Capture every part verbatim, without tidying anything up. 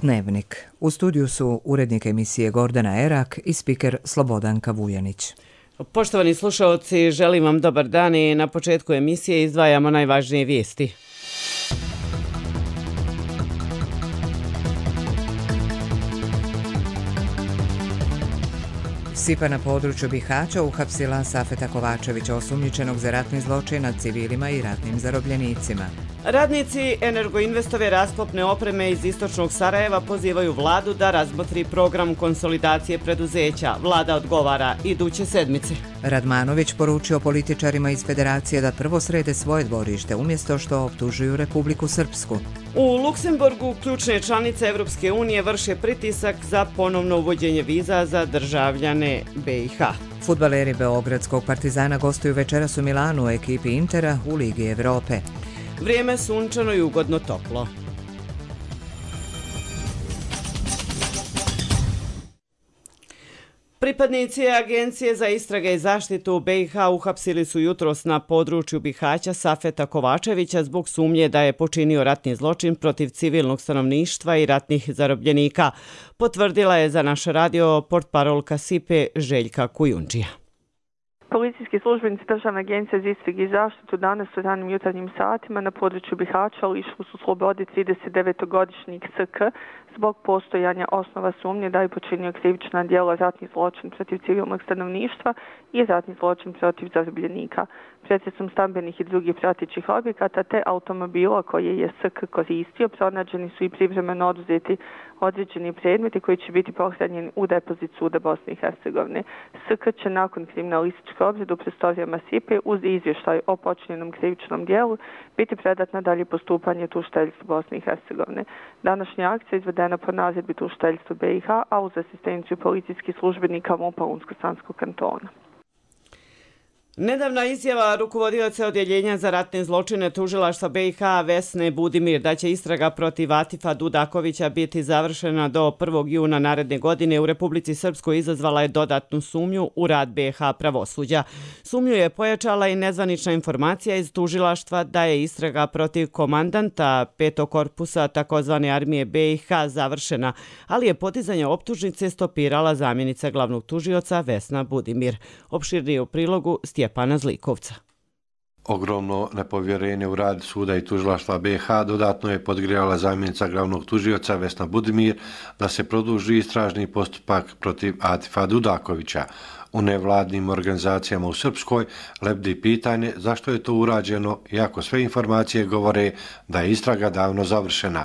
Dnevnik. U studiju su urednik emisije Gordana Erak i spiker Slobodanka Vujanić. Poštovani slušaoci, želim vam dobar dan i na početku emisije izdvajamo najvažnije vijesti. SIPA na području Bihaća uhapsila Safeta Kovačevića, osumnjičenog za ratni zločin nad civilima i ratnim zarobljenicima. Radnici Energoinvestove rasklopne opreme iz istočnog Sarajeva pozivaju vladu da razmotri program konsolidacije preduzeća. Vlada odgovara iduće sedmice. Radmanović poručio političarima iz Federacije da prvo srede svoje dvorište umjesto što optužuju Republiku Srpsku. U Luksemburgu ključne članice Evropske unije vrše pritisak za ponovno uvođenje viza za državljane B i H. Fudbaleri Beogradskog Partizana gostuju večeras u Milanu u ekipi Intera u Ligi Evrope. Vrijeme sunčano i ugodno toplo. Pripadnici Agencije za istrage i zaštitu B i H uhapsili su jutros na području Bihaća Safeta Kovačevića zbog sumnje da je počinio ratni zločin protiv civilnog stanovništva i ratnih zarobljenika, potvrdila je za naš radio portparolka SIPE Željka Kujundžija. Policijski službenici Državne agencije za istrage i zaštitu danas u ranim jutarnjim satima na području Bihaća lišili su slobode trideset devetogodišnjeg S K zbog postojanja osnova sumnje da je počinio krivična djela ratni zločin protiv civilnog stanovništva i ratni zločin protiv zarobljenika. Pretresom stambenih i drugih pratećih objekata te automobila koje je S K koristio pronađeni su i privremeno oduzeti određeni predmeti koji će biti pohranjeni u depozit suda Bosne i Hercegovine. S K će nakon kriminalističke obrade u prostorijama SIPE uz izvještaj o počinjenom krivičnom djelu biti predat na dalje postupanje tužiteljstvu Bosne i Hercegovine. Današnja akcija izvedena po naredbi tužiteljstva B i H, a uz asistenciju policijskih službenika MUP-a Unsko-Sanskog kantona. Nedavna izjava rukovodioca odjeljenja za ratne zločine tužilaštva B i H Vesne Budimir da će istraga protiv Atifa Dudakovića biti završena do prvog juna naredne godine u Republici Srpskoj izazvala je dodatnu sumnju u rad B i H pravosuđa. Sumnju je pojačala i nezvanična informacija iz tužilaštva da je istraga protiv komandanta petog korpusa takozvane armije B i H završena, ali je podizanje optužnice stopirala zamjenica glavnog tužioca Vesna Budimir. Opširnije u prilogu Stjepana Zlikovca. Ogromno nepovjerenje u rad suda i tužilaštva B i H dodatno je podgrijala zamjenica glavnog tužioca Vesna Budimir da se produži istražni postupak protiv Atifa Dudakovića. U nevladnim organizacijama u Srpskoj lebdi pitanje zašto je to urađeno, iako sve informacije govore da je istraga davno završena.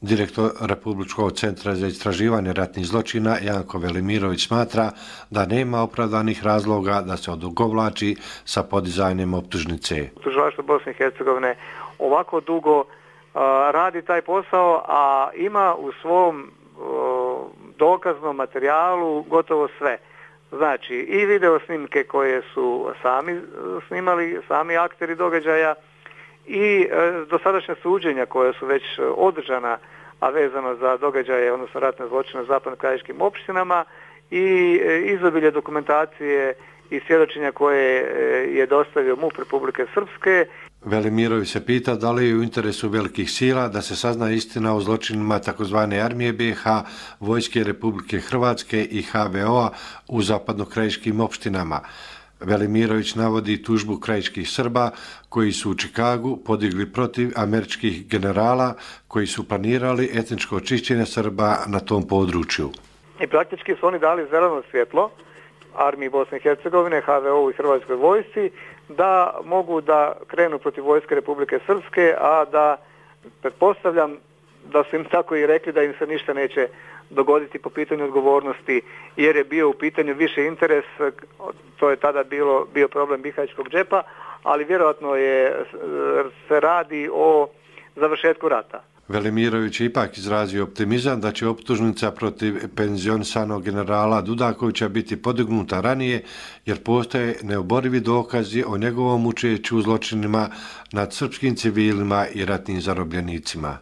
Direktor Republičkog centra za istraživanje ratnih zločina Janko Velimirović smatra da nema opravdanih razloga da se odugovlači sa podizanjem optužnice. Tužilaštvo Bosne i Hercegovine ovako dugo uh, radi taj posao, a ima u svom uh, dokaznom materijalu gotovo sve. Znači i video snimke koje su sami snimali, sami akteri događaja, i e, dosadašnja suđenja koja su već održana, a vezano za događaje, odnosno ratne zločine u zapadno-krajiškim opštinama, i e, izobilje dokumentacije i svjedočenja koje e, je dostavio MUP Republike Srpske. Velimirović se pita da li je u interesu velikih sila da se sazna istina o zločinima takozvane armije B i H, Vojske Republike Hrvatske i H V O-a u zapadno-krajiškim opštinama. Velimirović navodi tužbu krajiških Srba koji su u Čikagu podigli protiv američkih generala koji su planirali etničko očišćenje Srba na tom području. I praktički su oni dali zeleno svjetlo armiji Bosne i Hercegovine, H V O i Hrvatskoj vojsci da mogu da krenu protiv Vojske Republike Srpske, a da pretpostavljam da su im tako i rekli da im se ništa neće dogoditi po pitanju odgovornosti, jer je bio u pitanju više interes, to je tada bilo, bio problem bihaćkog džepa, ali vjerojatno je, se radi o završetku rata. Velimirović je ipak izrazio optimizam da će optužnica protiv penzionisanog generala Dudakovića biti podignuta ranije, jer postoje neoborivi dokazi o njegovom učešću u zločinima nad srpskim civilima i ratnim zarobljenicima.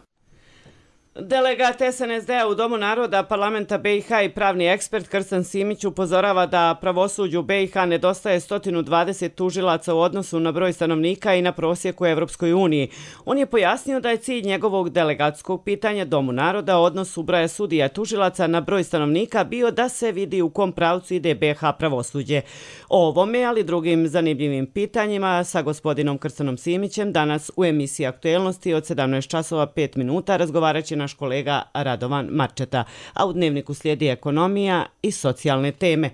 Delegat S N S D-a u Domu naroda parlamenta B i H i pravni ekspert Krsan Simić upozorava da pravosuđu B i H nedostaje sto dvadeset tužilaca u odnosu na broj stanovnika i na prosjek u Evropskoj uniji. On je pojasnio da je cilj njegovog delegatskog pitanja Domu naroda odnos broja sudija tužilaca na broj stanovnika bio da se vidi u kom pravcu ide B i H pravosuđe. O ovome, ali drugim zanimljivim pitanjima sa gospodinom Krsanom Simićem danas u emisiji Aktuelnosti od sedamnaest časova pet minuta razgovarat će naš kolega Radovan Marčeta, a u dnevniku slijedi ekonomija i socijalne teme.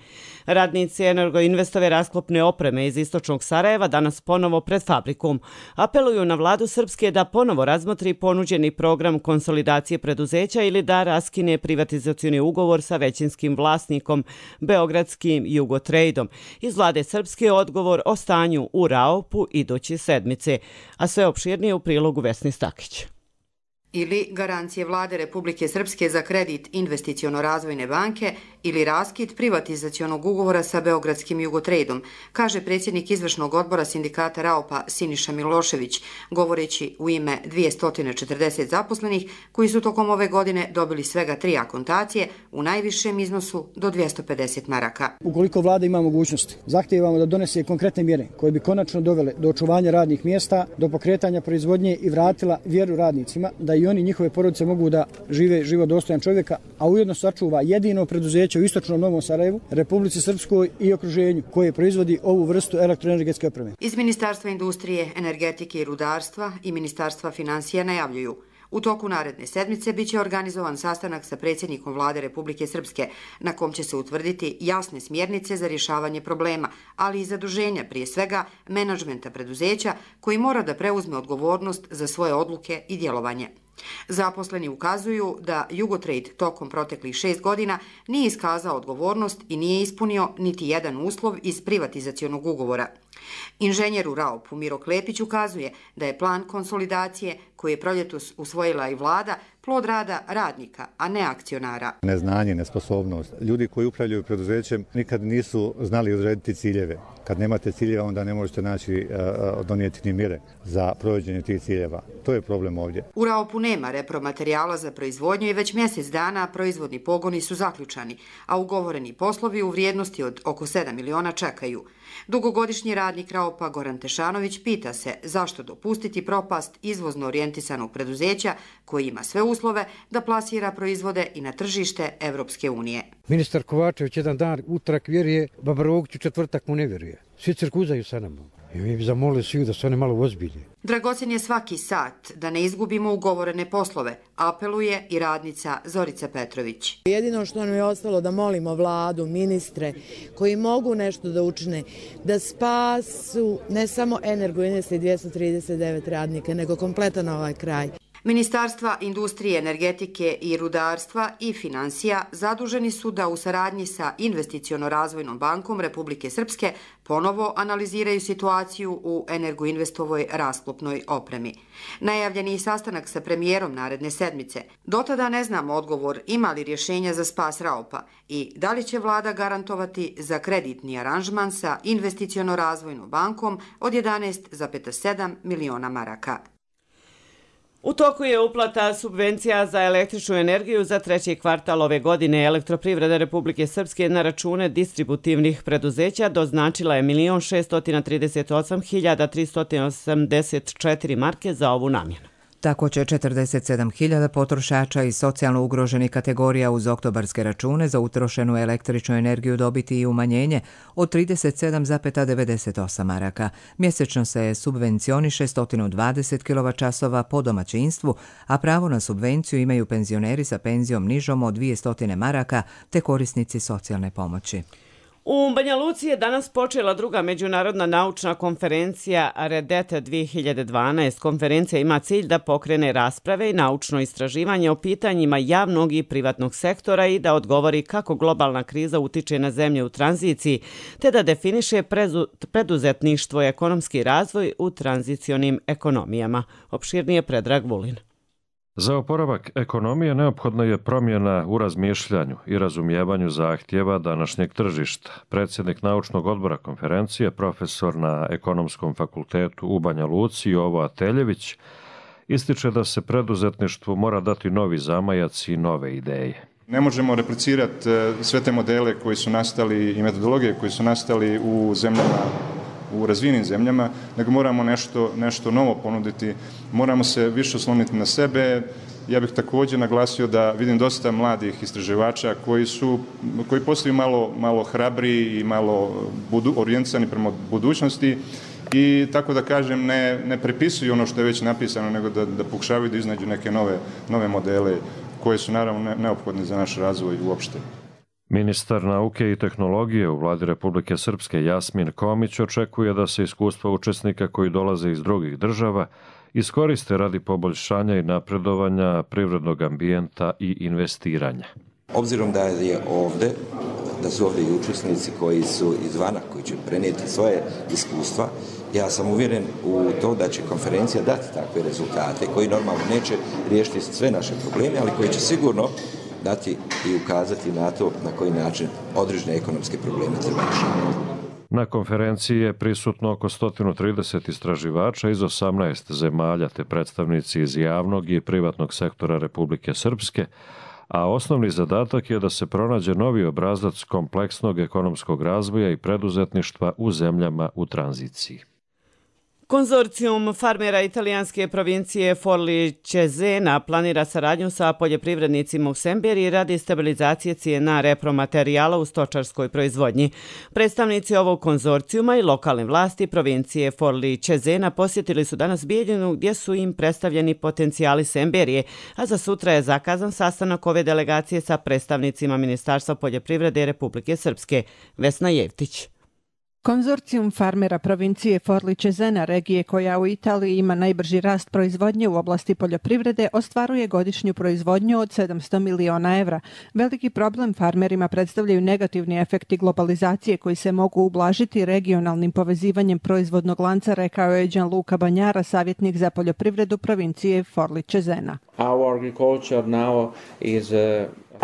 Radnici Energoinvestove rasklopne opreme iz istočnog Sarajeva danas ponovo pred fabrikom. Apeluju na vladu Srpske da ponovo razmotri ponuđeni program konsolidacije preduzeća ili da raskine privatizacioni ugovor sa većinskim vlasnikom, beogradskim Jugotrejdom. Iz vlade Srpske odgovor o stanju u Raopu iduće sedmice, a sve opširnije u prilogu Vesni Stakić. Ili garancije vlade Republike Srpske za kredit Investiciono-razvojne banke ili raskid privatizacionog ugovora sa beogradskim Jugotrejdom, kaže predsjednik izvršnog odbora sindikata Raopa Siniša Milošević, govoreći u ime dvjesto četrdeset zaposlenih koji su tokom ove godine dobili svega tri akontacije u najvišem iznosu do dvjesto pedeset maraka. Ukoliko vlada ima mogućnosti, zahtijevamo da donese konkretne mjere koje bi konačno dovele do očuvanja radnih mjesta, do pokretanja proizvodnje i vratila vjeru radnicima da i oni njihove porodice mogu da žive život dostojan čovjeka, a ujedno sačuva jedino preduzeće u istočnom Novom Sarajevu, Republici Srpskoj i okruženju koje proizvodi ovu vrstu elektroenergetske opreme. Iz Ministarstva industrije, energetike i rudarstva i Ministarstva financija najavljuju: u toku naredne sedmice biće organizovan sastanak sa predsjednikom vlade Republike Srpske, na kom će se utvrditi jasne smjernice za rješavanje problema, ali i zaduženja prije svega menadžmenta preduzeća koji mora da preuzme odgovornost za svoje odluke i djelovanje. Zaposleni ukazuju da Jugotrade tokom proteklih šest godina nije iskazao odgovornost i nije ispunio niti jedan uslov iz privatizacionog ugovora. Inženjer u Raopu Miro Klepić ukazuje da je plan konsolidacije koji je proljetos usvojila i vlada plod rada radnika, a ne akcionara. Neznanje, nesposobnost. Ljudi koji upravljaju preduzećem nikad nisu znali odrediti ciljeve. Kad nemate ciljeva, onda ne možete naći, donijeti ni mjere za provođenje tih ciljeva. To je problem ovdje. U Raopu nema repromaterijala za proizvodnju i već mjesec dana proizvodni pogoni su zaključani, a ugovoreni poslovi u vrijednosti od oko sedam miliona čekaju. Dugogodišnji radnik Raopa Goran Tešanović pita se zašto dopustiti propast izvozno orijentisanog preduzeća koji ima sve uslove da plasira proizvode i na tržište Evropske unije. Ministar Kovačević jedan dan utorak vjeruje, Baba Rogić u četvrtak mu ne vjeruje. Svi crkuzaju sa nama. I mi bi zamolili svi da se one malo ozbilje. Dragocen je svaki sat da ne izgubimo ugovorene poslove, apeluje i radnica Zorica Petrović. Jedino što nam je ostalo da molimo vladu, ministre koji mogu nešto da učine, da spasu ne samo Energoinvest i dvjesto trideset devet radnika, nego kompletan ovaj kraj. Ministarstva industrije, energetike i rudarstva i financija zaduženi su da u saradnji sa Investiciono-razvojnom bankom Republike Srpske ponovo analiziraju situaciju u Energoinvestovoj rasklopnoj opremi. Najavljeni je sastanak sa premijerom naredne sedmice. Do tada ne znamo odgovor ima li rješenja za spas Raopa i da li će vlada garantovati za kreditni aranžman sa Investiciono-razvojnom bankom od jedanaest zarez sedam miliona maraka. U toku je uplata subvencija za električnu energiju za treći kvartal ove godine. Elektroprivreda Republike Srpske na račune distributivnih preduzeća doznačila je milion šesto trideset osam hiljada tristo osamdeset četiri marke za ovu namjenu. Tako će četrdeset sedam hiljada potrošača iz socijalno ugroženih kategorija uz oktobarske račune za utrošenu električnu energiju dobiti i umanjenje od trideset sedam zarez devedeset osam maraka. Mjesečno se subvencioniše sto dvadeset kilovat-časova po domaćinstvu, a pravo na subvenciju imaju penzioneri sa penzijom nižom od dvjesto maraka te korisnici socijalne pomoći. U Banja Luci je danas počela druga međunarodna naučna konferencija Redete dvije hiljade dvanaest. Konferencija ima cilj da pokrene rasprave i naučno istraživanje o pitanjima javnog i privatnog sektora i da odgovori kako globalna kriza utiče na zemlje u tranziciji, te da definiše preduzetništvo i ekonomski razvoj u tranzicionim ekonomijama. Opširnije Predrag Vulin. Za oporavak ekonomije neophodna je promjena u razmišljanju i razumijevanju zahtjeva današnjeg tržišta. Predsjednik naučnog odbora konferencije, profesor na Ekonomskom fakultetu u Banja Luci Jovo Ateljević, ističe da se preduzetništvu mora dati novi zamajac i nove ideje. Ne možemo replicirati sve te modele koji su nastali i metodologije koji su nastali u zemljama, u razvijenim zemljama, nego moramo nešto, nešto novo ponuditi, moramo se više osloniti na sebe. Ja bih također naglasio da vidim dosta mladih istraživača koji su, koji postaju malo, malo hrabri i malo budu, orijentisani prema budućnosti i tako da kažem ne, ne prepisuju ono što je već napisano, nego da, da pokušavaju da iznađu neke nove, nove modele koje su naravno neophodne za naš razvoj uopšte. Ministar nauke i tehnologije u vladi Republike Srpske Jasmin Komić očekuje da se iskustva učesnika koji dolaze iz drugih država iskoriste radi poboljšanja i napredovanja privrednog ambijenta i investiranja. Obzirom da je ovde, da su ovdje i učesnici koji su izvana, koji će prenijeti svoje iskustva, ja sam uvjeren u to da će konferencija dati takve rezultate koji normalno neće riješiti sve naše probleme, ali koji će sigurno dati i ukazati na to na koji način određene ekonomske probleme treba rješavati. Na konferenciji je prisutno oko sto trideset istraživača iz osamnaest zemalja te predstavnici iz javnog i privatnog sektora Republike Srpske, a osnovni zadatak je da se pronađe novi obrazac kompleksnog ekonomskog razvoja i preduzetništva u zemljama u tranziciji. Konzorcijum farmera italijanske provincije Forli Cesena planira saradnju sa poljoprivrednicima u Semberiji radi stabilizacije cijena repromaterijala u stočarskoj proizvodnji. Predstavnici ovog konzorcijuma i lokalne vlasti provincije Forli Cesena posjetili su danas Bijeljinu gdje su im predstavljeni potencijali Semberije, a za sutra je zakazan sastanak ove delegacije sa predstavnicima Ministarstva poljoprivrede Republike Srpske. Vesna Jevtić. Konzorcijum farmera provincije Forli Cesena, regije koja u Italiji ima najbrži rast proizvodnje u oblasti poljoprivrede, ostvaruje godišnju proizvodnju od sedamsto miliona evra. Veliki problem farmerima predstavljaju negativni efekti globalizacije koji se mogu ublažiti regionalnim povezivanjem proizvodnog lanca, rekao je Gianluca Banjara, savjetnik za poljoprivredu provincije Forli Cesena. Our agriculture now is uh...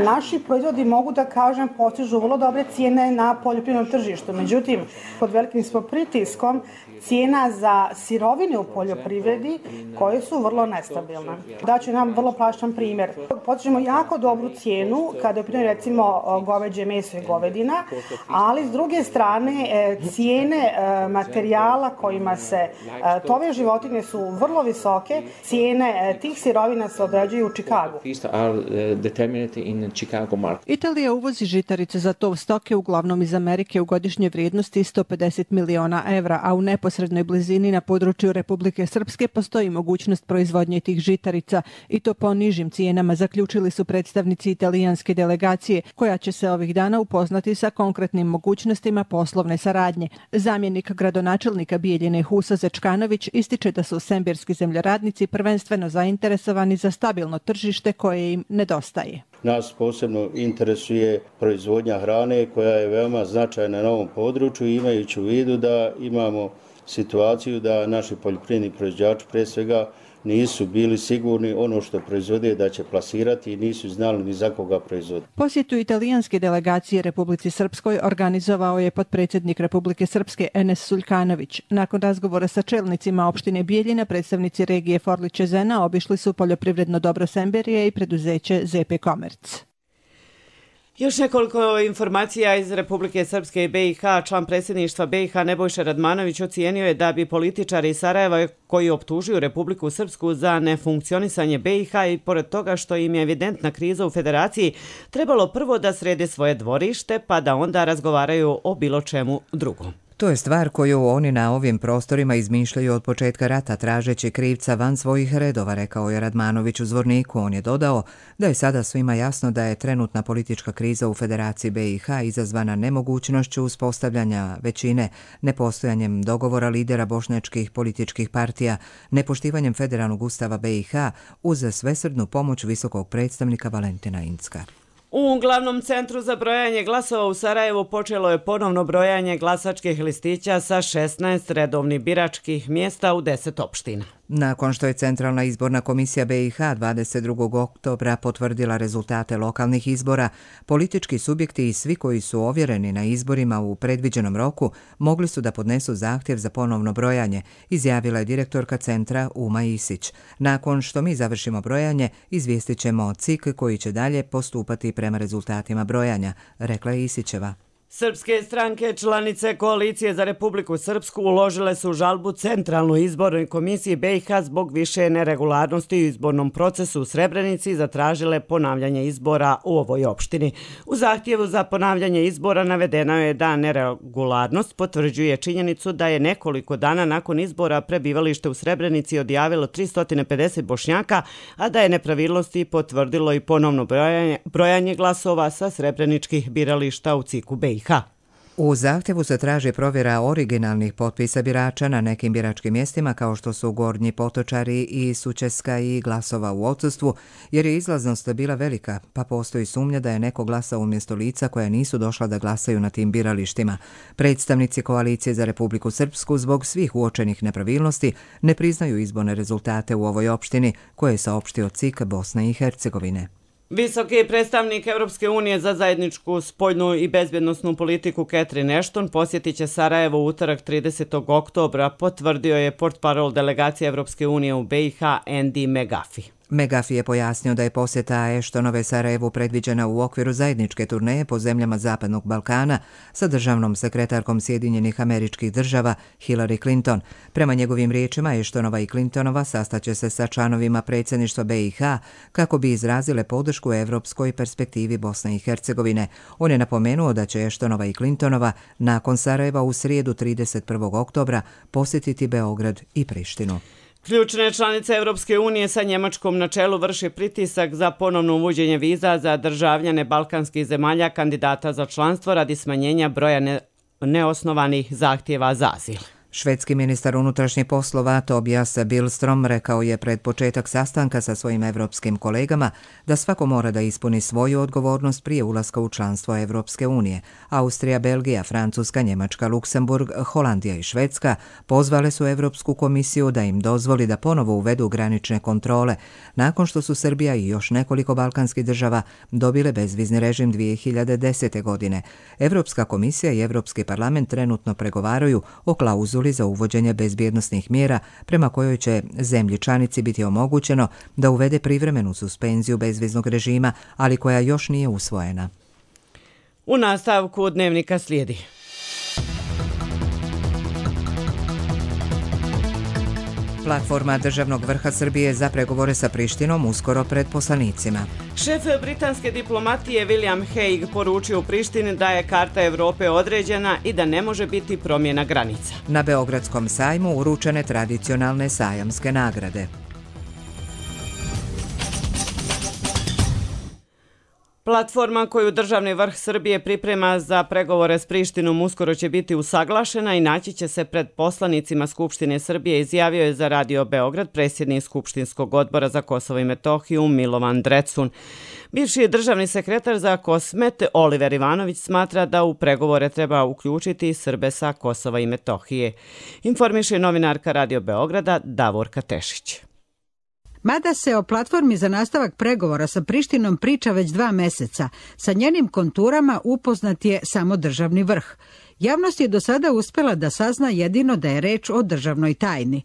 Naši proizvodi, mogu da kažem, postižu vrlo dobre cijene na poljoprivrednom tržištu. Međutim, pod velikim smo pritiskom cijena za sirovine u poljoprivredi koje su vrlo nestabilne. Daću nam vrlo plašan primjer. Postižemo jako dobru cijenu kada je primjer recimo goveđe meso i govedina, ali s druge strane cijene materijala kojima se tove životinje su vrlo visoke. Cijene tih sirovina se određuju u Čikagu. Italija uvozi žitarice za tov stoke uglavnom iz Amerike u godišnje vrijednosti sto pedeset miliona evra, a u neposrednoj blizini na području Republike Srpske postoji mogućnost proizvodnje tih žitarica i to po nižim cijenama, zaključili su predstavnici italijanske delegacije, koja će se ovih dana upoznati sa konkretnim mogućnostima poslovne saradnje. Zamjenik gradonačelnika Bijeljine Husa Zečkanović ističe da su semberski zemljoradnici prvenstveno zainteresovani za stabilno tržište koje im nedostaje. Nas posebno interesuje proizvodnja hrane koja je veoma značajna na ovom području, imajući u vidu da imamo situaciju da naši poljoprivredni proizvođači pre svega nisu bili sigurni ono što proizvode da će plasirati i nisu znali ni za koga proizvode. Posjetu italijanske delegacije Republici Srpskoj organizovao je potpredsjednik Republike Srpske Enes Suljkanović. Nakon razgovora sa čelnicima opštine Bijeljina, predstavnici regije Forli Cesena obišli su poljoprivredno dobro Semberije i preduzeće Z P Komerc. Još nekoliko informacija iz Republike Srpske i B i H. Član predsjedništva B i H Nebojša Radmanović ocijenio je da bi političari iz Sarajeva koji optužuju Republiku Srpsku za nefunkcionisanje B i H i pored toga što im je evidentna kriza u federaciji, trebalo prvo da srede svoje dvorište pa da onda razgovaraju o bilo čemu drugom. To je stvar koju oni na ovim prostorima izmišljaju od početka rata tražeći krivca van svojih redova, rekao je Radmanović u Zvorniku. On je dodao da je sada svima jasno da je trenutna politička kriza u Federaciji B i H izazvana nemogućnošću uspostavljanja većine, nepostojanjem dogovora lidera bošnjačkih političkih partija, nepoštivanjem federalnog ustava B i H uz svesrdnu pomoć visokog predstavnika Valentina Incka. U glavnom centru za brojanje glasova u Sarajevu počelo je ponovno brojanje glasačkih listića sa šesnaest redovnih biračkih mjesta u deset opština. Nakon što je Centralna izborna komisija be i ha dvadeset drugog oktobra potvrdila rezultate lokalnih izbora, politički subjekti i svi koji su ovjereni na izborima u predviđenom roku mogli su da podnesu zahtjev za ponovno brojanje, izjavila je direktorka centra Uma Isić. Nakon što mi završimo brojanje, izvijestit ćemo C I K koji će dalje postupati prema rezultatima brojanja, rekla je Isićeva. Srpske stranke članice Koalicije za Republiku Srpsku uložile su žalbu Centralnoj izbornoj komisiji be i ha zbog više neregularnosti u izbornom procesu u Srebrenici i zatražile ponavljanje izbora u ovoj opštini. U zahtjevu za ponavljanje izbora navedeno je da neregularnost potvrđuje činjenicu da je nekoliko dana nakon izbora prebivalište u Srebrenici odjavilo tristo pedeset Bošnjaka, a da je nepravilnosti potvrdilo i ponovno brojanje, brojanje glasova sa srebreničkih birališta u C I K-u be i ha. U zahtjevu se traži provjera originalnih potpisa birača na nekim biračkim mjestima kao što su Gornji Potočari i Sučeska i glasova u odsustvu, jer je izlaznost bila velika, pa postoji sumnja da je neko glasao umjesto lica koja nisu došla da glasaju na tim biralištima. Predstavnici Koalicije za Republiku Srpsku zbog svih uočenih nepravilnosti ne priznaju izborne rezultate u ovoj opštini, koje je saopštio C I K Bosne i Hercegovine. Visoki predstavnik Europske unije za zajedničku spoljnu i bezbjednosnu politiku Catherine Ashton posjetit će Sarajevo u utorak tridesetog oktobra, potvrdio je portparol delegacije Europske unije u be i ha Andy McGuffie. McGuffie je pojasnio da je posjeta Ashtonove Sarajevu predviđena u okviru zajedničke turneje po zemljama Zapadnog Balkana sa državnom sekretarkom Sjedinjenih Američkih Država Hillary Clinton. Prema njegovim riječima, Ashtonova i Clintonova sastaće se sa članovima predsjedništva be i ha kako bi izrazile podršku evropskoj perspektivi Bosne i Hercegovine. On je napomenuo da će Ashtonova i Clintonova nakon Sarajeva u srijedu trideset prvog oktobra posjetiti Beograd i Prištinu. Ključne članice Europske unije sa Njemačkom na čelu vrše pritisak za ponovno uvođenje viza za državljane balkanskih zemalja kandidata za članstvo radi smanjenja broja ne, neosnovanih zahtjeva za azil. Švedski ministar unutrašnjih poslova Tobias Billström rekao je pred početak sastanka sa svojim evropskim kolegama da svako mora da ispuni svoju odgovornost prije ulaska u članstvo Evropske unije. Austrija, Belgija, Francuska, Njemačka, Luksemburg, Holandija i Švedska pozvale su Evropsku komisiju da im dozvoli da ponovo uvedu granične kontrole, nakon što su Srbija i još nekoliko balkanskih država dobile bezvizni režim dvije hiljade desete. godine. Evropska komisija i Evropski parlament trenutno pregovaraju o klauzuli za uvođenje bezbjednosnih mjera prema kojoj će zemlji članici biti omogućeno da uvede privremenu suspenziju bezviznog režima, ali koja još nije usvojena. U nastavku dnevnika slijedi. Platforma državnog vrha Srbije za pregovore sa Prištinom uskoro pred poslanicima. Šef britanske diplomatije William Hague poručio u Prištini da je karta Evrope određena i da ne može biti promjena granica. Na Beogradskom sajmu uručene tradicionalne sajamske nagrade. Platforma koju državni vrh Srbije priprema za pregovore s Prištinom uskoro će biti usaglašena i naći će se pred poslanicima Skupštine Srbije, izjavio je za Radio Beograd predsjednik Skupštinskog odbora za Kosovo i Metohiju Milovan Drecun. Bivši državni sekretar za Kosmet Oliver Ivanović smatra da u pregovore treba uključiti Srbe sa Kosova i Metohije. Informiše novinarka Radio Beograda Davorka Tešić. Mada se o platformi za nastavak pregovora sa Prištinom priča već dva meseca, sa njenim konturama upoznat je samo državni vrh. Javnost je do sada uspjela da sazna jedino da je reč o državnoj tajni.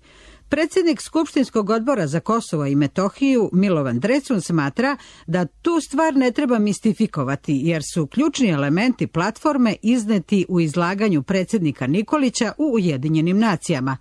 Predsjednik Skupštinskog odbora za Kosovo i Metohiju Milovan Drecun smatra da tu stvar ne treba mistifikovati jer su ključni elementi platforme izneti u izlaganju predsjednika Nikolića u Ujedinjenim nacijama.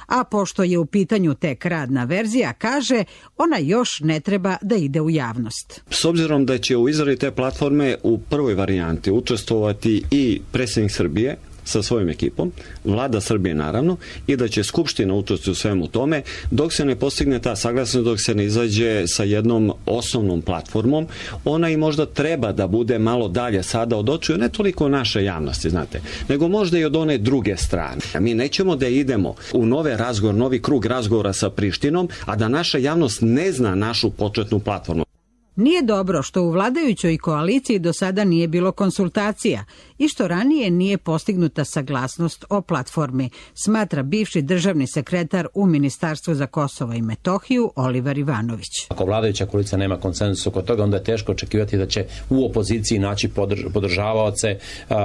A pošto je u pitanju tek radna verzija, kaže, ona još ne treba da ide u javnost. S obzirom da će u izradi te platforme u prvoj varijanti učestvovati i predsjednik Srbije sa svojom ekipom, vlada Srbije naravno, i da će Skupština učestvovati u svemu tome, dok se ne postigne ta saglasnost, dok se ne izađe sa jednom osnovnom platformom, ona i možda treba da bude malo dalje sada od očiju, ne toliko naše javnosti, znate, nego možda i od one druge strane. Mi nećemo da idemo u nove razgovor, novi krug razgovora sa Prištinom, a da naša javnost ne zna našu početnu platformu. Nije dobro što u vladajućoj koaliciji do sada nije bilo konsultacija i što ranije nije postignuta saglasnost o platformi, smatra bivši državni sekretar u Ministarstvu za Kosovo i Metohiju Oliver Ivanović. Ako vladajuća koalicija nema konsenzus oko toga, onda je teško očekivati da će u opoziciji naći podržavaoce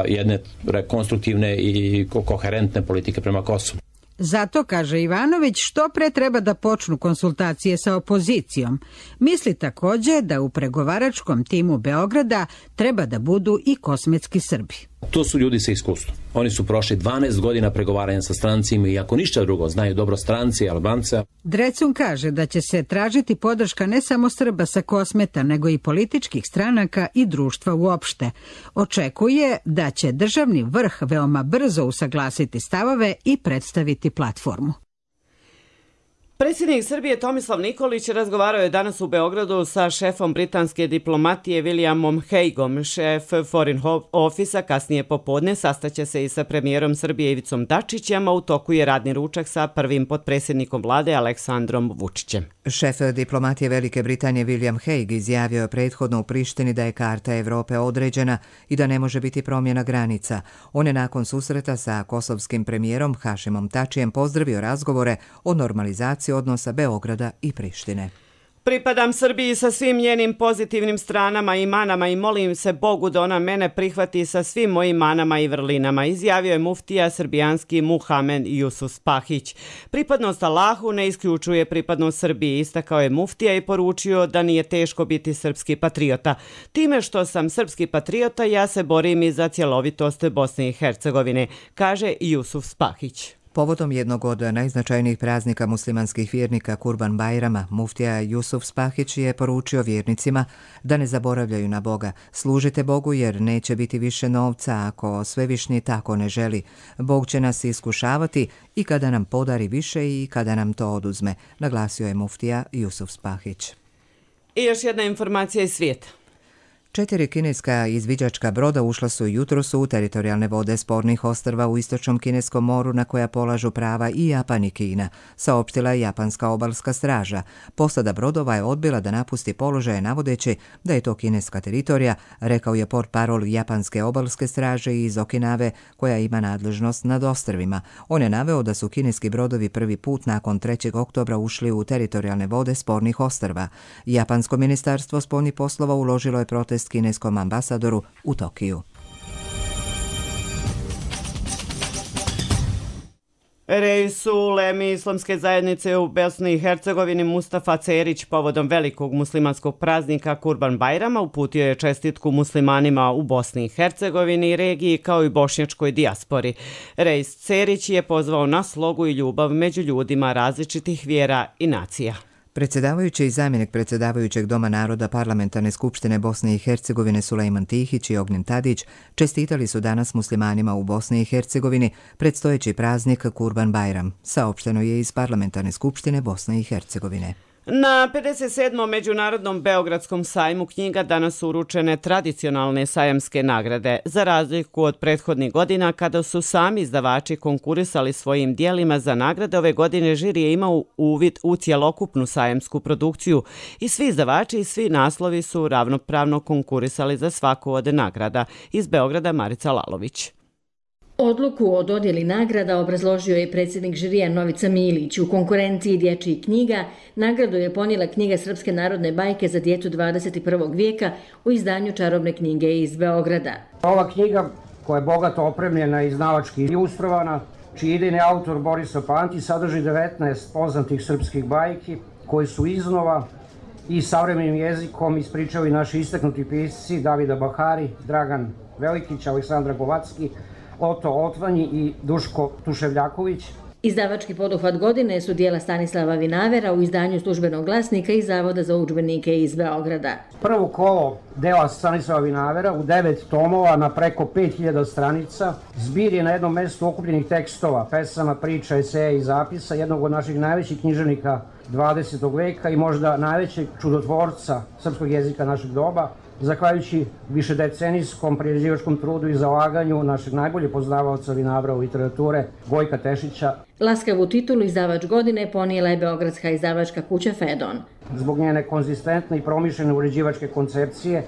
jedne konstruktivne i koherentne politike prema Kosovu. Zato, kaže Ivanović, što pre treba da počnu konsultacije sa opozicijom. Misli takođe da u pregovaračkom timu Beograda treba da budu i kosmetski Srbi. To su ljudi sa iskustvom. Oni su prošli dvanaest godina pregovaranja sa strancima i ako ništa drugo, znaju dobro stranci i Albanca. Drecun kaže da će se tražiti podrška ne samo Srba sa Kosmeta, nego i političkih stranaka i društva uopšte. Očekuje da će državni vrh veoma brzo usaglasiti stavove i predstaviti platformu. Predsjednik Srbije Tomislav Nikolić razgovarao je danas u Beogradu sa šefom britanske diplomatije Williamom Hagueom. Šef Foreign Office-a kasnije popodne sastaće se i sa premijerom Srbije Ivicom Dačićem, a u toku je radni ručak sa prvim potpredsjednikom vlade Aleksandrom Vučićem. Šef diplomatije Velike Britanije William Hague izjavio je prethodno u Prištini da je karta Evrope određena i da ne može biti promjena granica. On je nakon susreta sa kosovskim premijerom Hašimom Tačijem pozdravio razgovore o normalizaciji odnosa Beograda i Prištine. Pripadam Srbiji sa svim njenim pozitivnim stranama i manama i molim se Bogu da ona mene prihvati sa svim mojim manama i vrlinama, izjavio je muftija srbijanski Muhamed Jusuf Spahić. Pripadnost Allahu ne isključuje pripadnost Srbiji, istakao je muftija i poručio da nije teško biti srpski patriota. Time što sam srpski patriota, ja se borim i za cjelovitost Bosne i Hercegovine, kaže Jusuf Spahić. Povodom jednog od najznačajnijih praznika muslimanskih vjernika Kurban Bajrama, muftija Jusuf Spahić je poručio vjernicima da ne zaboravljaju na Boga. Služite Bogu jer neće biti više novca ako Svevišnji tako ne želi. Bog će nas iskušavati i kada nam podari više i kada nam to oduzme, naglasio je muftija Jusuf Spahić. I još jedna informacija iz svijeta. Četiri kineska izviđačka broda ušla su jutros u teritorijalne vode spornih ostrva u istočnom kineskom moru na koja polažu prava i Japan i Kina, saopštila je japanska obalska straža. Posada brodova je odbila da napusti položaje navodeći da je to kineska teritorija, rekao je portparol japanske obalske straže iz Okinave koja ima nadležnost nad ostrvima. On je naveo da su kineski brodovi prvi put nakon trećeg oktobra ušli u teritorijalne vode spornih ostrva. Japansko ministarstvo spoljnih poslova uložilo je protest kineskom ambasadoru u Tokiju. Reis uleme islamske zajednice u Bosni i Hercegovini Mustafa Cerić povodom velikog muslimanskog praznika Kurban Bajrama uputio je čestitku muslimanima u Bosni i Hercegovini i regiji kao i bošnjačkoj dijaspori. Reis Cerić je pozvao na slogu i ljubav među ljudima različitih vjera i nacija. Predsjedavajući i zamjenik predsjedavajućeg Doma naroda Parlamentarne skupštine Bosne i Hercegovine Sulejman Tihić i Ognjen Tadić čestitali su danas muslimanima u Bosni i Hercegovini predstojeći praznik Kurban Bajram, saopšteno je iz Parlamentarne skupštine Bosne i Hercegovine. Na pedeset sedmom Međunarodnom Beogradskom sajmu knjiga danas su uručene tradicionalne sajamske nagrade. Za razliku od prethodnih godina kada su sami izdavači konkurisali svojim dijelima za nagrade, ove godine žiri je imao uvid u cjelokupnu sajamsku produkciju i svi izdavači i svi naslovi su ravnopravno konkurisali za svaku od nagrada. Iz Beograda Marica Lalović. Odluku o dodjeli nagrada obrazložio je predsjednik žirija Novica Milić. U konkurenciji dječjih knjiga nagradu je ponijela knjiga Srpske narodne bajke za djecu dvadeset prvog vijeka u izdanju Čarobne knjige iz Beograda. Ova knjiga koja je bogato opremljena i izdavački ilustrovana, čiji idejni autor Borislav Pantić sadrži devetnaest poznatih srpskih bajki koji su iznova i savremenim jezikom ispričali naši istaknuti pisci Davida Bahari, Dragan Velikić, Aleksandra Govacki, Oto Otvanji i Duško Tuševljaković. Izdavački poduhvat godine su dijela Stanislava Vinavera u izdanju Službenog glasnika i Zavoda za udžbenike iz Beograda. Prvo kolo dela Stanislava Vinavera u devet tomova na preko pet hiljada stranica. Zbir je na jednom mjestu okupljenih tekstova, pesama, priča, eseja i zapisa jednog od naših najvećih književnika dvadesetog veka i možda najvećeg čudotvorca srpskog jezika našeg doba, zahvaljujući višedecenijskom priređivačkom trudu i zalaganju našeg najbolje poznavaoca Vinavra u literature Gojka Tešića. Laskavu titulu izdavač godine ponijela je beogradska izdavačka kuća Fedon. zbog njene konzistentne i promišljene uređivačke koncepcije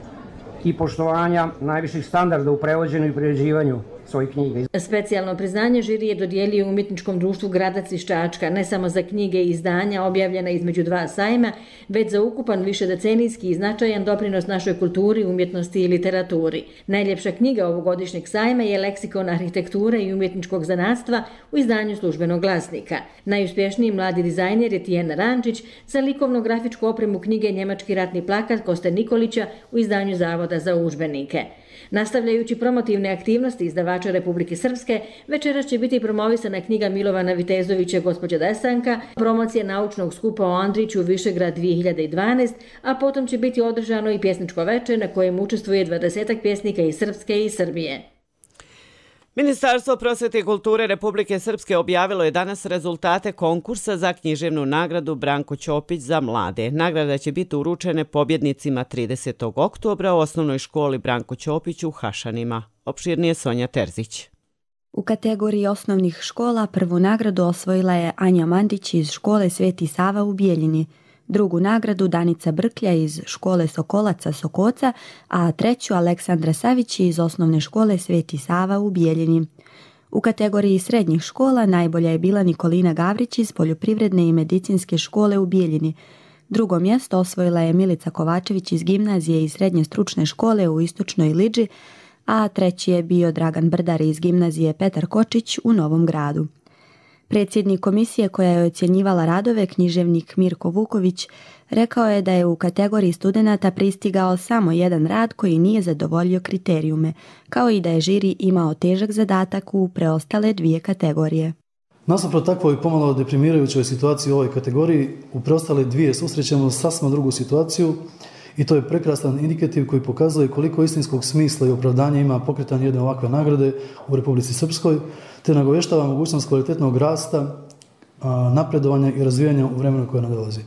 i poštovanja najviših standarda u prevođenju i priređivanju svojih knjiga. Specijalno priznanje žiri je dodijelio umjetničkom društvu Gradac iz Čačka, ne samo za knjige i izdanja objavljena između dva sajma, već za ukupan višedecenijski i značajan doprinos našoj kulturi, umjetnosti i literaturi. Najljepša knjiga ovogodišnjeg sajma je Leksikon arhitekture i umjetničkog zanatstva u izdanju Službenog glasnika. Najuspješniji mladi dizajner je Tijena Rančić, za likovno-grafičku opremu knjige Njemački ratni plakat Koste Nikolića u izdanju Zavoda za udžbenike. Nastavljajući promotivne aktivnosti izdavača Republike Srpske, večeras će biti promovisana knjiga Milovana Vitezovića Gospođa Desanka, promocija naučnog skupa o Andriću Višegrad dvije hiljade dvanaest, a potom će biti održano i pjesničko veče na kojem učestvuje dvadesetak pjesnika iz Srpske i Srbije. Ministarstvo prosvete i kulture Republike Srpske objavilo je danas rezultate konkursa za književnu nagradu Branko Ćopić za mlade. Nagrada će biti uručene pobjednicima tridesetog oktobra u osnovnoj školi Branko Ćopić u Hašanima. Opširnije Sonja Terzić. U kategoriji osnovnih škola prvu nagradu osvojila je Anja Mandić iz škole Sveti Sava u Bijeljini, drugu nagradu Danica Brklja iz škole Sokolaca Sokoca, a treću Aleksandra Savić iz osnovne škole Sveti Sava u Bijeljini. U kategoriji srednjih škola najbolja je bila Nikolina Gavrić iz Poljoprivredne i medicinske škole u Bijeljini. Drugo mjesto osvojila je Milica Kovačević iz gimnazije i srednje stručne škole u Istočnoj Liđi, a treći je bio Dragan Brdar iz gimnazije Petar Kočić u Novom Gradu. Predsjednik komisije koja je ocjenjivala radove, književnik Mirko Vuković, rekao je da je u kategoriji studenata pristigao samo jedan rad koji nije zadovoljio kriterijume, kao i da je žiri imao težak zadatak u preostale dvije kategorije. Nasuprot takvoj pomalo deprimirajućoj situaciji u ovoj kategoriji, u preostale dvije susrećemo sasvim drugu situaciju i to je prekrasan indikativ koji pokazuje koliko istinskog smisla i opravdanja ima pokretanje jedne ovakve nagrade u Republici Srpskoj, te nagovještava mogućnost kvalitetnog rasta, napredovanja i razvijanja u vremenu koje nadolazi.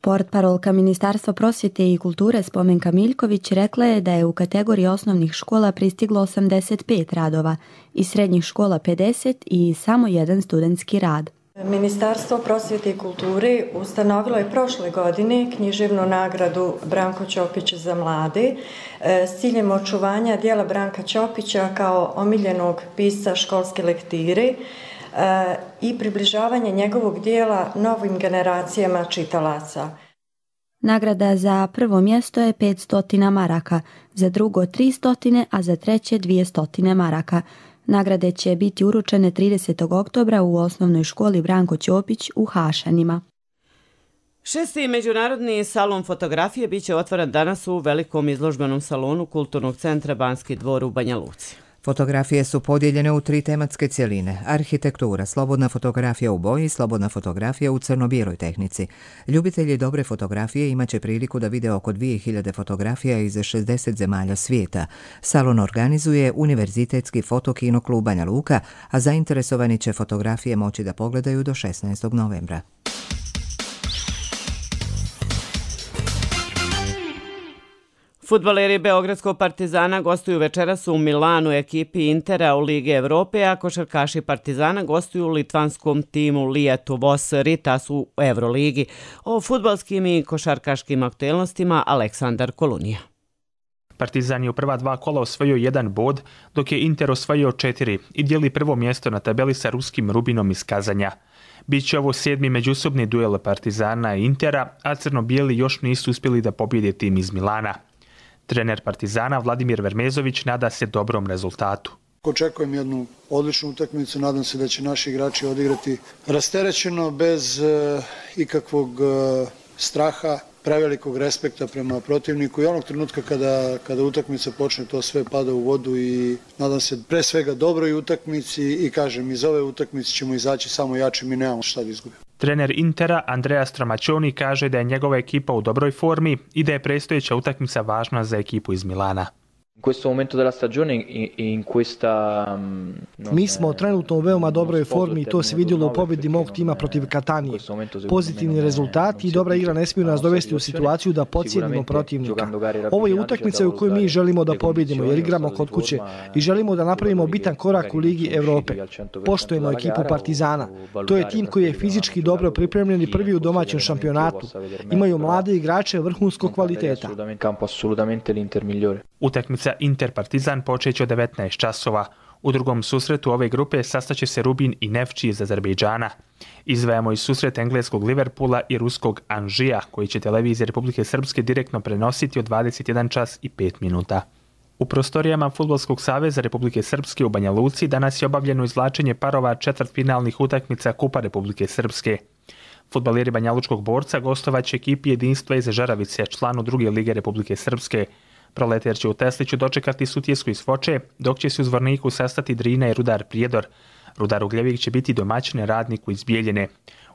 Portparolka Ministarstva prosvjete i kulture Spomenka Miljković rekla je da je u kategoriji osnovnih škola pristiglo osamdeset pet radova, iz srednjih škola pedeset i samo jedan studentski rad. Ministarstvo prosvjete i kulture ustanovilo je prošle godine književnu nagradu Branko Ćopić za mlade s ciljem očuvanja dijela Branka Ćopića kao omiljenog pisca školske lektire i približavanje njegovog dijela novim generacijama čitalaca. Nagrada za prvo mjesto je petsto maraka, za drugo tristo, a za treće dvjesto maraka. Nagrade će biti uručene tridesetog oktobra u osnovnoj školi Branko Ćopić u Hašanima. Šesti međunarodni salon fotografije biće otvoren danas u velikom izložbenom salonu Kulturnog centra Banski dvor u Banja Luci. Fotografije su podijeljene u tri tematske cjeline: arhitektura, slobodna fotografija u boji i slobodna fotografija u crno-bijeloj tehnici. Ljubitelji dobre fotografije imaće priliku da vide oko dvije hiljade fotografija iz šezdeset zemalja svijeta. Salon organizuje Univerzitetski fotokino klub Banja Luka, a zainteresovani će fotografije moći da pogledaju do šesnaestog novembra. Fudbaleri Beogradskog Partizana gostuju večeras u Milanu ekipi Intera u Ligi Evrope, a košarkaši Partizana gostuju u litvanskom timu Lietuvos Ritas u Euroligi. O fudbalskim i košarkaškim aktuelnostima Aleksandar Kolunija. Partizan je u prva dva kola osvojio jedan bod, dok je Inter osvojio četiri i dijeli prvo mjesto na tabeli sa ruskim Rubinom iz Kazanja. Biće ovo sedmi međusobni duel Partizana i Intera, a crno-bijeli još nisu uspjeli da pobjede tim iz Milana. Trener Partizana Vladimir Vermezović nada se dobrom rezultatu. Očekujem jednu odličnu utakmicu, nadam se da će naši igrači odigrati rasterećeno, bez uh, ikakvog uh, straha, prevelikog respekta prema protivniku i onog trenutka kada, kada utakmica počne, to sve pada u vodu i nadam se pre svega dobroj utakmici i kažem, iz ove utakmice ćemo izaći samo jači, mi nemamo šta da izgubimo. Trener Intera Andrea Stramačoni kaže da je njegova ekipa u dobroj formi i da je predstojeća utakmica važna za ekipu iz Milana. Mi smo trenutno u veoma dobroj formi i to se vidjelo u pobjedi mog tima protiv Katanije. Pozitivni rezultati i dobra igra ne smiju nas dovesti u situaciju da podcijenimo protivnika. Ovo je utakmica u kojoj mi želimo da pobjedimo jer igramo kod kuće i želimo da napravimo bitan korak u Ligi Evrope. Poštujemo ekipu Partizana. To je tim koji je fizički dobro pripremljen i prvi u domaćem šampionatu. Imaju mlade igrače vrhunskog kvaliteta. Utakmica Inter-Partizan počeće od devetnaest časova. U drugom susretu ove grupe sastaće se Rubin i Nefči iz Azerbejdžana. Izdvajamo i susret engleskog Liverpoola i ruskog Anžija, koji će televizija Republike Srpske direktno prenositi od dvadeset jedan čas i pet minuta. U prostorijama Fudbalskog saveza Republike Srpske u Banja Luci danas je obavljeno izvlačenje parova četvrtfinalnih utakmica Kupa Republike Srpske. Fudbaleri banjalučkog Borca gostovaće ekipi Jedinstva iz Žaravice, članu druge lige Republike Srpske. Proletar će u Tesliću dočekati Sutjesku iz Foče, dok će se u Zvorniku sastati Drina i Rudar Prijedor. Rudar Ugljevik će biti domaćin Radniku iz Bijeljine.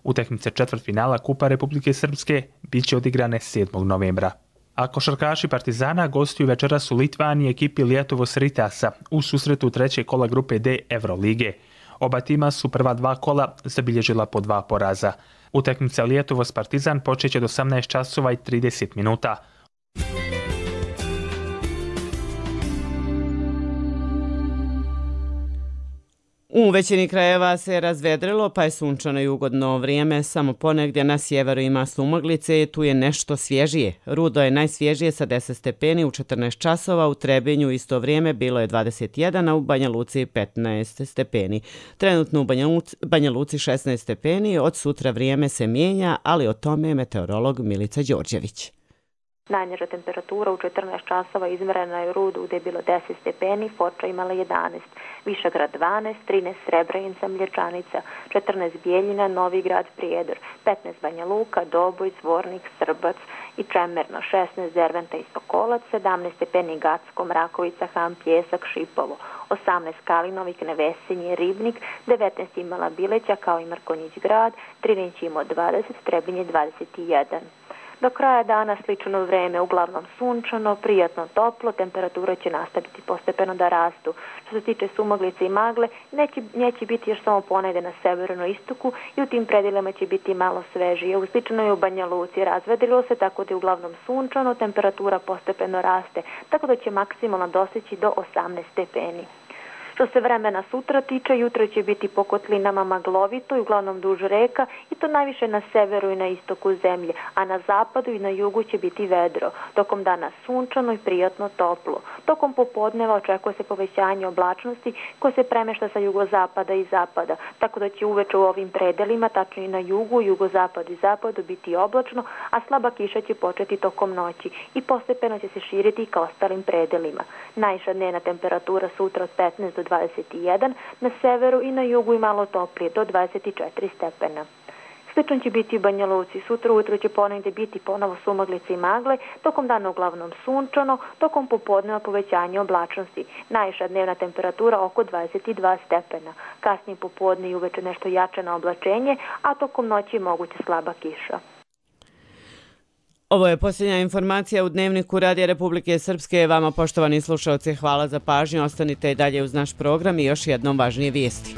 Utakmice četvrtfinala Kupa Republike Srpske bit će odigrane sedmog novembra. A košarkaši Partizana gostuju večeras u Litvaniji ekipi Lietuvos Ritasa u susretu trećeg kola grupe D Evrolige. Oba tima su prva dva kola zabilježila po dva poraza. Utakmica Lietuvos Partizan počeće od osamnaest časova i trideset minuta. U većini krajeva se razvedrilo, pa je sunčano i ugodno vrijeme, samo ponegdje na sjeveru ima sumaglice, tu je nešto svježije. Rudo je najsvježije sa deset stepeni u četrnaest časova, u Trebinju isto vrijeme bilo je dvadeset jedan, a u Banja Luci petnaest stepeni. Trenutno u Banja Luci, Banja Luci šesnaest stepeni, od sutra vrijeme se mijenja, ali o tome je meteorolog Milica Đorđević. Najniža temperatura u četrnaest časova izmjerena je u Rudu gdje je bilo deset stepeni, Foča imala jedanaest, Višegrad dvanaest, trinaest Srebrenica, Mlječanica, četrnaest Bijeljina, Novi Grad, Prijedor, petnaest Banja Luka, Doboj, Zvornik, Srbac i Čemerno, šesnaest Derventa i Sokolac, sedamnaest stepeni Gacko, Mrakovica, Han, Pjesak, Šipovo, osamnaest Kalinovik, Nevesinje, Ribnik, devetnaest imala Bileća kao i Markonjić grad, Trineć imao dvadeset, Trebinje dvadeset jedan. Do kraja dana slično vrijeme, uglavnom sunčano, prijatno toplo, temperatura će nastaviti postepeno da rastu. Što se tiče sumaglice i magle, neće, neće biti još samo ponegdje na severno istoku i u tim predjelima će biti malo svežije. U slično je u Banja Luci razvedrilo se, tako da je uglavnom sunčano, temperatura postepeno raste, tako da će maksimalno doseći do osamnaest stepeni. Što se vremena sutra tiče, jutro će biti po kotlinama maglovito i uglavnom duž reka i to najviše na severu i na istoku zemlje, a na zapadu i na jugu će biti vedro. Tokom dana sunčano i prijatno toplo. Tokom popodneva očekuje se povećanje oblačnosti koje se premešta sa jugozapada i zapada, tako da će uveče u ovim predelima, tačnije na jugu, jugozapadu i zapadu biti oblačno, a slaba kiša će početi tokom noći i postepeno će se širiti ka ostalim predelima. Najviša dnevna temperatura sutra od petnaest do dvadeset jedan, na severu i na jugu i malo toplije do dvadeset četiri stepena. Slično će biti u Banja Luci. Sutra ujutro će ponegdje biti ponovo sumaglice i magle, tokom dana uglavnom sunčano, tokom popodneva povećanje oblačnosti. Najviša dnevna temperatura oko dvadeset dva stepena. Kasnije popodne i uveče nešto jače na oblačenje, a tokom noći je moguća slaba kiša. Ovo je posljednja informacija u Dnevniku Radija Republike Srpske. Vama, poštovani slušalci, hvala za pažnju. Ostanite i dalje uz naš program i još jednom važnije vijesti.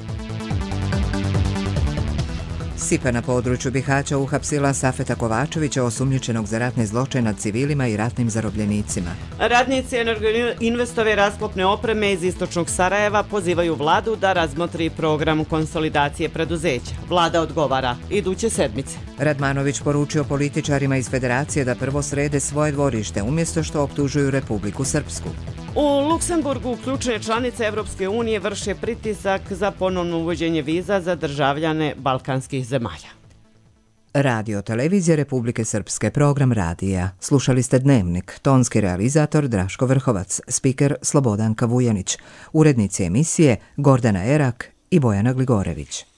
S I P A na području Bihaća uhapsila Safeta Kovačevića, osumnjičenog za ratne zločine nad civilima i ratnim zarobljenicima. Radnici Energoinvestove rasklopne opreme iz istočnog Sarajeva pozivaju vladu da razmotri program konsolidacije preduzeća. Vlada odgovara iduće sedmice. Radmanović poručio političarima iz Federacije da prvo srede svoje dvorište, umjesto što optužuju Republiku Srpsku. U Luksemburgu ključne članice Evropske unije vrše pritisak za ponovno uvođenje viza za državljane balkanskih zemalja. Radio Televizija Republike Srpske, program radija. Slušali ste Dnevnik, tonski realizator Draško Vrhovac, spiker Slobodanka Vujanić, urednici emisije Gordana Erak i Bojana Gligorević.